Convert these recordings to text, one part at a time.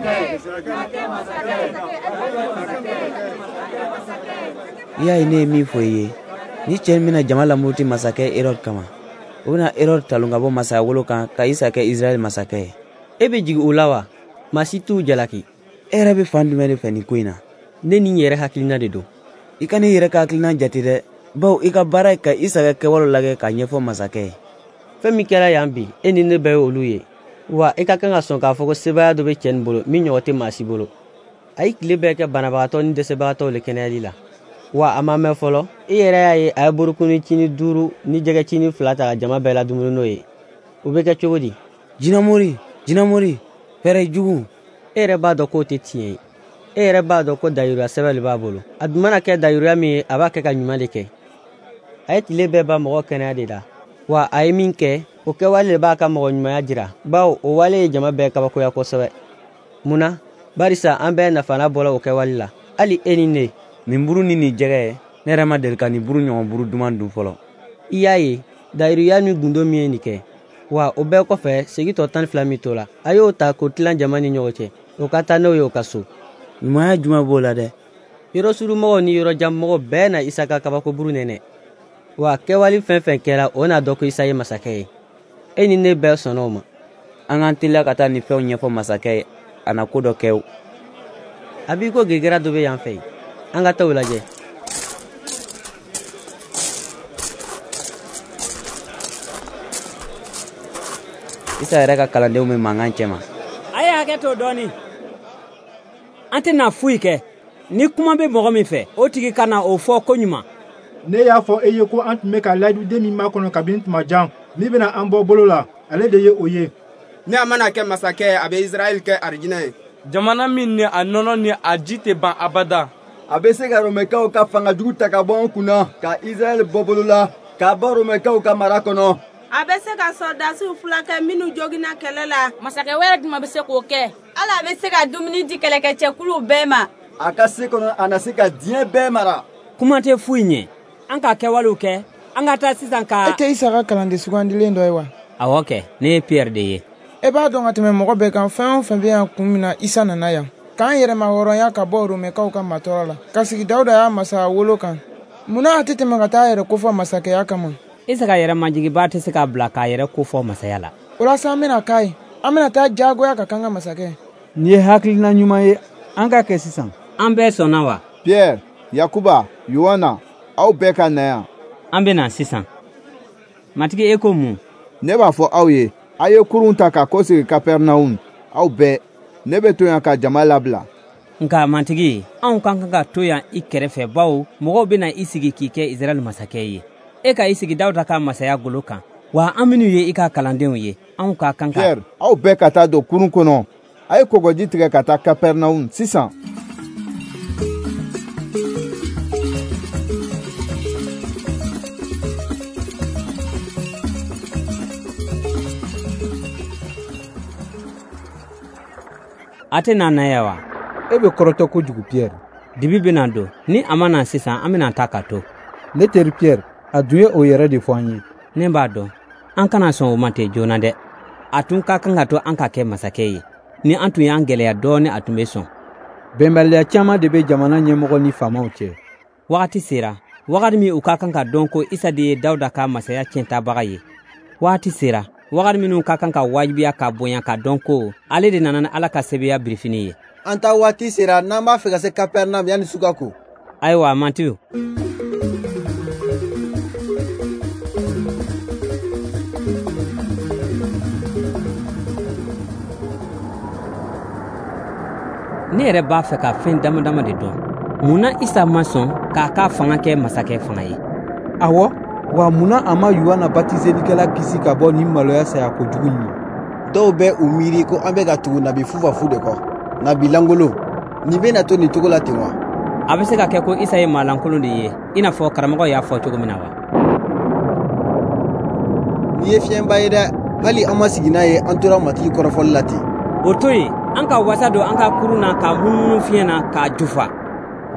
I y'a ye ne ye min fɔ i ye, ni cɛ in bɛna jama lamuruti masakɛ Herode kama, o bɛna Herode talon ka bɔ masayawolo kan ka Isa kɛ Israɛl masakɛ ye. E bɛ jigin o la wa? Maa si t'u jalaki. E yɛrɛ bɛ fan jumɛn de fɛ nin ko in na? Ne ni n yɛrɛ hakilina de don. I ka ne yɛrɛ ka hakilina jate dɛ, bawo i ka baara ye ka Isa ka kɛwalew lajɛ k'a ɲɛfɔ masakɛ ye. Fɛn min kɛra yan bi, e ni ne bɛɛ ye olu ye. Wa i ka kan ka sɔn k'a fɔ ko sebaaya dɔ bɛ cɛ nin bolo min ɲɔgɔn tɛ maa si bolo. A ye tile bɛɛ kɛ banabagatɔ ni dɛsɛbagatɔw le kɛnɛyali la. Wa a ma mɛn fɔlɔ, i yɛrɛ y'a ye a ye burukuni cini 5 ni jɛgɛ cini 2 ta ka jama bɛɛ la dumuni n'o ye. O bɛ kɛ cogo di? Jinɛmori, jinɛmori, fɛɛrɛ jugu. E yɛrɛ b'a dɔn k'o tɛ tiɲɛ ye. E yɛrɛ b'a dɔn ko dayiruya sɛbɛn de b'a bolo. A dun mana kɛ dayiruya min ye, a b'a kɛ ka ɲuman de kɛ. A ye tile bɛɛ ban mɔgɔ kɛnɛya de la. Wa a ye min kɛ, o kɛwale de b'a ka mɔgɔ ɲumanya jira, bawo o wale ye jama bɛɛ kabakoya kosɛbɛ. Mun na? Barisa an bɛɛ nafana bɔra o kɛwale la, hali e ni ne. Nin buru ni nin jɛgɛ ye, ne yɛrɛ ma deli ka nin buru ɲɔgɔn buru duman dun fɔlɔ. I y'a ye, dayiruya ni gundo min ye nin kɛ. Wa o bɛɛ kɔfɛ, segi tɔ 12 min to la, a y'o ta k'o tilan jama ni ɲɔgɔn cɛ, o ka taa n'o ye o ka so. Ɲumanya jumɛn b'o la dɛ? Yɔrɔ surunmɔgɔw ni yɔrɔ janmɔgɔw bɛɛ na Isa ka kabakoburu nɛnɛ. Wa kɛwale fɛn fɛn kɛra, o n'a dɔn ko Isa ye masakɛ ye. E ni ne bɛɛ sɔnna o ma. An k'an teliya ka taa nin fɛnw ɲɛfɔ masakɛ ye, a na ko dɔ kɛ o. A b'i ko gɛgɛra dɔ bɛ yan fɛ yen. An ka taa o lajɛ. Isa yɛrɛ ka kalandenw bɛ mankan cɛma. A ye hakɛ to dɔɔni. An tɛna foyi kɛ. Ni kuma bɛ mɔgɔ min fɛ, o tigi ka na o fɔ ko ɲuman. Ne y'a fɔ e ye ko an tun bɛ ka layiduden min makɔnɔ kabini tuma jan, min bɛna an bɔ bolo la, ale de ye o ye. Ni a mana kɛ masakɛ ye, a bɛ Israɛl kɛ arijinɛ ye. Jamana min ni a nɔnɔ ni a ji tɛ ban abada. A bɛ se ka Romɛkaw ka fanga jugu ta ka bɔ an kunna, ka Israɛl bɔ bolo la, k'a bɔ Romɛkaw ka mara kɔnɔ. A bɛ se ka sɔrɔdasiw fila kɛ minnu joginna kɛlɛ la. Masakɛ wɛrɛ jumɛn bɛ se k'o kɛ? Ala bɛ se ka dumuni di kɛlɛkɛcɛkuluw bɛɛ ma. A ka se kɔnɔ, a na se ka diɲɛ bɛɛ mara. Kuma tɛ foyi ɲɛ. An ka kɛwalew kɛ, an ka taa sisan ka. E tɛ Isa ka kalanden sugandilen dɔ ye wa? Awɔ kɛ, ne ye Pierre de ye. E b'a dɔn ka tɛmɛ mɔgɔ bɛɛ kan, fɛn o fɛn bɛ yan kun min na Isa nana yan, k'an yɛrɛma hɔrɔnya ka bɔ Romɛkaw ka matɔrɔ la, ka sigi Dawuda y'a masaya wolo kan. Munna a tɛ tɛmɛ ka taa a yɛrɛ kofɔ masakɛya kama? Isa ka yɛrɛ majigiba tɛ se k'a bila k'a yɛrɛ kofɔ masaya la. O la sa, an bɛna k'a ye. An bɛna taa diyagoya ka k'an ka masakɛ. Nin ye hakilina ɲuman ye, an ka kɛ sisan. An bɛɛ sɔnna wa? Pierre, Yakuba, Yohana, aw bɛɛ ka na yan. An bɛ na sisan. Matigi, e ko mun? Ne b'a fɔ aw ye, a ye kurun ta ka kɔsegin Kapɛrɛnawum, aw bɛɛ. Ne bɛ to yan ka jama labila. Nka Matigi, anw ka kan ka to yan i kɛrɛfɛ, bawo mɔgɔw bɛna i sigi k'i kɛ Israɛl masakɛ ye. E ka i sigi Dawuda ka masaya golo kan. Wa an minnu ye i ka kalandenw ye, anw ka kan ka. Pierre, aw bɛɛ ka taa don kurun kɔnɔ. A ye kɔgɔji tigɛ ka taa Kapɛrɛnawum sisan. A tɛ na na yan wa? E bɛ kɔrɔtɔ kojugu, Pierre. Dibi bɛna don. Ni a ma na sisan, an bɛna taa ka to. Ne teri Pierre, a dun ye o yɛrɛ de fɔ an ye. Ne b'a dɔn. An kana sɔn o ma ten joona dɛ. A tun ka kan ka to an ka kɛ masakɛ ye. Ni an tun y'an gɛlɛya dɔɔnin, a tun bɛ sɔn. Bɛnbaliya caman de bɛ jamana ɲɛmɔgɔ ni faamaw cɛ. Wagati sera, wagati min u ka kan ka dɔn ko Isa de ye Dawuda ka masaya tiɲɛtabaga ye. Wagati sera, wagati minnu ka kan ka wajibiya ka bonya ka dɔn ko ale de nana ni Ala ka sebeya birifini ye. An ta waati sera n'an b'a fɛ ka se Kapɛrɛnam yanni su ka ko. Ayiwa, Matiyu. Ne yɛrɛ b'a fɛ ka fɛn dama dama de dɔn. Mun na Isa ma sɔn k'a ka fanga kɛ masakɛ fanga ye? Awɔ, wa mun na a ma Yohana batiselikɛla kisi ka bɔ nin maloya saya kojugu in ma? Dɔw bɛ u miiri ko an bɛ ka tugu nabi fufafu de kɔ, nabi lankolon. Nin bɛna to nin cogo la ten wa? A bɛ se ka kɛ ko Isa ye maalankolon de ye, i n'a fɔ karamɔgɔ y'a fɔ cogo min na wa? Nin ye fiɲɛba ye dɛ, hali an ma sigi n'a ye, an tora Matigi kɔrɔfɔli la ten. O to yen, an ka wasa don an ka kurun na k'a munumunu fiɲɛ na k'a jufa.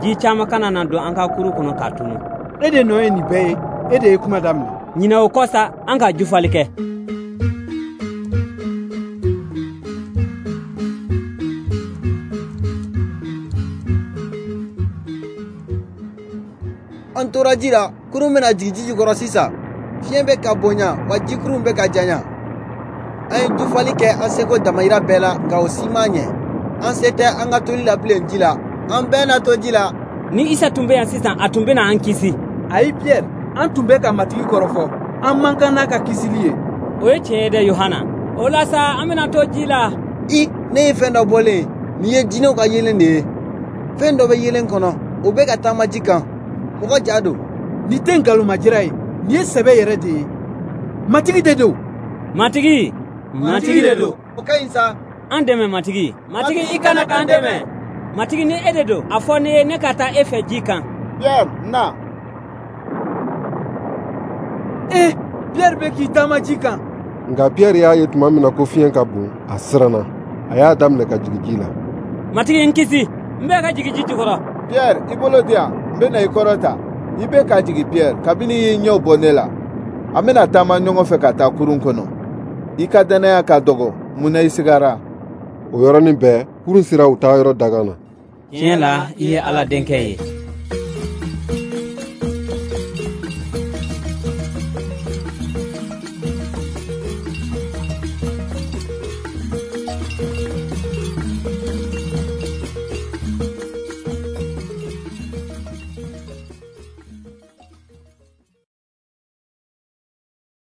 Ji caman kana na don an ka kurun kɔnɔ k'a tunu. E de nɔ ye nin bɛɛ ye, e de ye kuma daminɛ. Ɲinɛ o kɔ sa, an ka jufali kɛ. An tora ji la, kurun bɛna jigin ji jukɔrɔ sisan. Fiɲɛ bɛ ka bonya, wa jikurun bɛ ka janya. An ye dufali kɛ an seko damayira bɛɛ la, nka o si m'a ɲɛ. An se tɛ an ka toli la bilen ji la. An bɛɛ na to ji la. Ni Isa tun bɛ yan sisan, a tun bɛna an kisi. Ayi Pierre, an tun bɛ ka Matigi kɔrɔfɔ. An man kan n'a ka kisili ye. O ye tiɲɛ ye dɛ, Yohana. O la sa, an bɛna to ji la. I, ne ye fɛn dɔ bɔlen ye. Nin ye jinɛw ka yeelen de ye. Fɛn dɔ bɛ yeelen kɔnɔ, o bɛ ka taama ji kan. Mɔgɔ ja don. Nin tɛ nkalonmajira ye, nin ye sɛbɛ yɛrɛ de ye. Matigi de don. Matigi, Matigi de don. O ka ɲi sa. An dɛmɛ Matigi. Matigi, i kana k'an dɛmɛ. Matigi, ni e de don, a fɔ ne ye ne ka taa e fɛ ji kan. Pierre, na. Pierre bɛ k'i taama ji kan. Nka Pierre y'a ye tuma min na ko fiɲɛ ka bon, a siranna. A y'a daminɛ ka jigin ji la. Matigi, n kisi, n bɛ ka jigin ji jukɔrɔ. Pierre, i bolo di yan, n bɛna i kɔrɔ ta. I bɛ ka jigin Pierre, kabini i y'i ɲɛw bɔ ne la. An bɛna taama ɲɔgɔn fɛ ka taa kurun kɔnɔ. I ka dannaya ka dɔgɔ, mun na i sigara? O yɔrɔnin bɛɛ, kurun sera u taayɔrɔ dagan na. Tiɲɛ la, i ye Ala denkɛ ye.